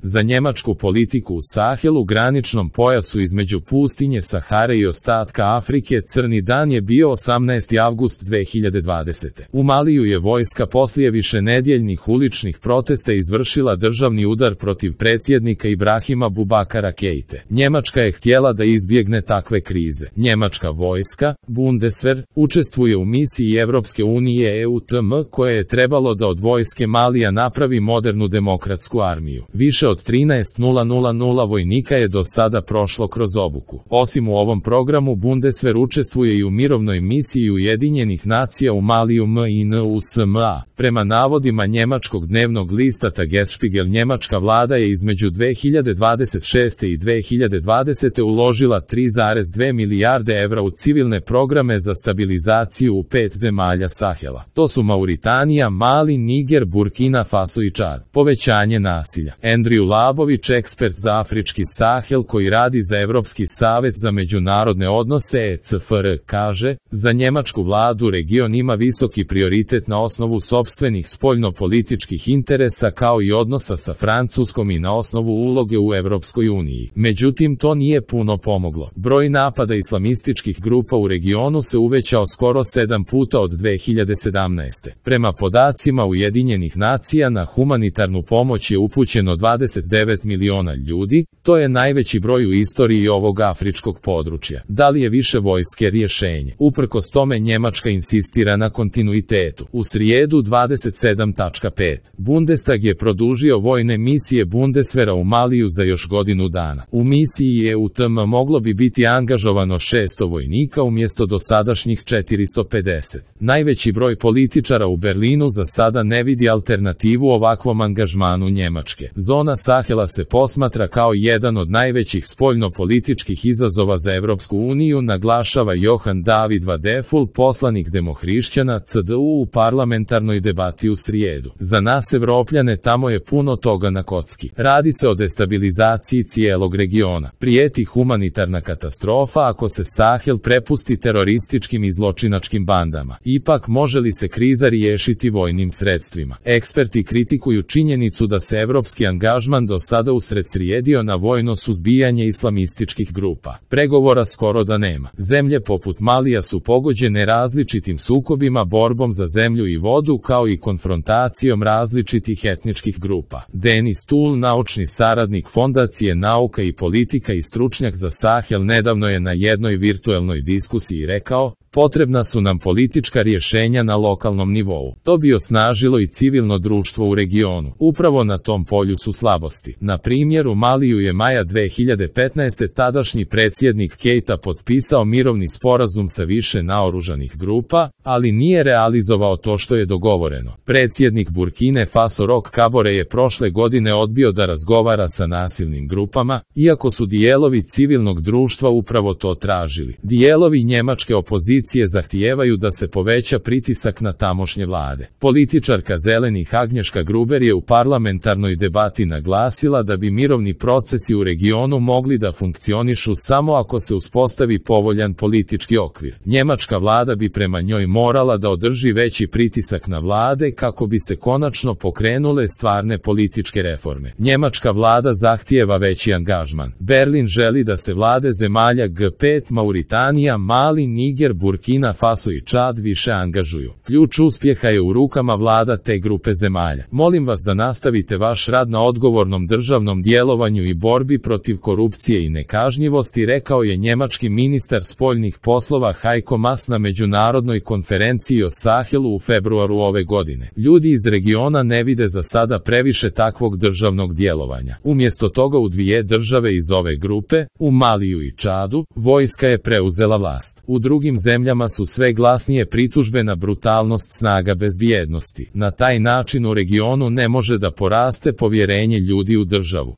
Za njemačku politiku u Sahelu, graničnom pojasu između pustinje Sahare i ostatka Afrike, crni dan je bio 18. avgust 2020. U Maliju je vojska poslije višenedjeljnih uličnih protesta izvršila državni udar protiv predsjednika Ibrahima Bubakara Keite. Njemačka je htjela da izbjegne takve krize. Njemačka vojska, Bundeswehr, učestvuje u misiji Evropske unije EUTM koje je trebalo da od vojske Malija napravi modernu demokratsku armiju. Više od 13.000 vojnika je do sada prošlo kroz obuku. Osim u ovom programu, Bundeswehr učestvuje i u mirovnoj misiji Ujedinjenih nacija u Maliju MINUSMA. Prema navodima njemačkog dnevnog lista Tagesspiegel, njemačka vlada je između 2026. i 2020. uložila 3,2 milijarde evra u civilne programe za stabilizaciju u 5 zemalja Sahela. To su Mauritanija, Mali, Niger, Burkina Faso i Čad. Povećanje nasilja. Andrew Labović, ekspert za afrički Sahel koji radi za Evropski savjet za međunarodne odnose ECFR, kaže: za njemačku vladu region ima visoki prioritet na osnovu sopstvenih spoljno-političkih interesa kao i odnosa sa Francuskom i na osnovu uloge u Evropskoj uniji. Međutim, to nije puno pomoglo. Broj napada islamističkih grupa u regionu se uvećao skoro 7 puta od 2017. Prema podacima Ujedinjenih nacija, na humanitarnu pomoć je upućeno 29 miliona ljudi, to je najveći broj u istoriji ovog afričkog područja. Da li je više vojske rješenje? Uprkos tome, Njemačka insistira na kontinuitetu. U srijedu 27.5. Bundestag je produžio vojne misije Bundeswehra u Maliju za još godinu dana. U misiji EUTM moglo bi biti angažovano 600 vojnika umjesto dosadašnjih 450. Najveći broj političara u Berlinu za sada ne vidi alternativu ovakvom angažmanu Njemačke. Zona Sahela se posmatra kao jedan od najvećih spoljno-političkih izazova za Evropsku uniju, naglašava Johan David Vadeful, poslanik demohrišćana CDU u parlamentarnoj debati u srijedu. Za nas Evropljane tamo je puno toga na kocki. Radi se o destabilizaciji cijelog regiona. Prijeti humanitarna katastrofa ako se Sahel prepusti terorističkim i zločinačkim bandama. Ipak, može li se kriza riješiti vojnim sredstvima? Eksperti kritikuju činjenicu da se evropski angažman do sada usredsredio na vojno suzbijanje islamističkih grupa. Pregovora skoro da nema. Zemlje poput Malija su pogođene različitim sukobima, borbom za zemlju i vodu kao i konfrontacijom različitih etničkih grupa. Denis Tull, naučni saradnik Fondacije Nauka i politika i stručnjak za Sahel, nedavno je na jednoj virtuelnoj diskusiji rekao: potrebna su nam politička rješenja na lokalnom nivou. To bi osnažilo i civilno društvo u regionu. Upravo na tom polju su slabosti. Na primjer, u Maliju je maja 2015. tadašnji predsjednik Keita potpisao mirovni sporazum sa više naoružanih grupa, ali nije realizovao to što je dogovoreno. Predsjednik Burkine Faso Roch Kabore je prošle godine odbio da razgovara sa nasilnim grupama, iako su dijelovi civilnog društva upravo to tražili. Dijelovi njemačke opozicije zahtijevaju da se poveća pritisak na tamošnje vlade. Političarka Zelenih Agnješka Gruber je u parlamentarnoj debati naglasila da bi mirovni procesi u regionu mogli da funkcionišu samo ako se uspostavi povoljan politički okvir. Njemačka vlada bi prema njoj morala da održi veći pritisak na vlade kako bi se konačno pokrenule stvarne političke reforme. Njemačka vlada zahtijeva veći angažman. Berlin želi da se vlade zemalja G5, Mauritanija, Mali, Niger, Burkina Faso i Čad više angažuju. Ključ uspjeha je u rukama vlada te grupe zemalja. Molim vas da nastavite vaš rad na odgovornom državnom djelovanju i borbi protiv korupcije i nekažnjivosti, rekao je njemački ministar spoljnih poslova Heiko Maas na međunarodnoj konferenciji o Sahelu u februaru ove godine. Ljudi iz regiona ne vide za sada previše takvog državnog djelovanja. Umjesto toga u dvije države iz ove grupe, u Maliju i Čadu, vojska je preuzela vlast. U drugim zemljama su sve glasnije pritužbe na brutalnost snaga bezbjednosti. Na taj način u regionu ne može da poraste povjerenje ljudi u državu.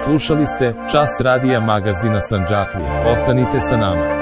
Slušali ste Čas radija magazina Sandžaklije. Ostanite sa nama.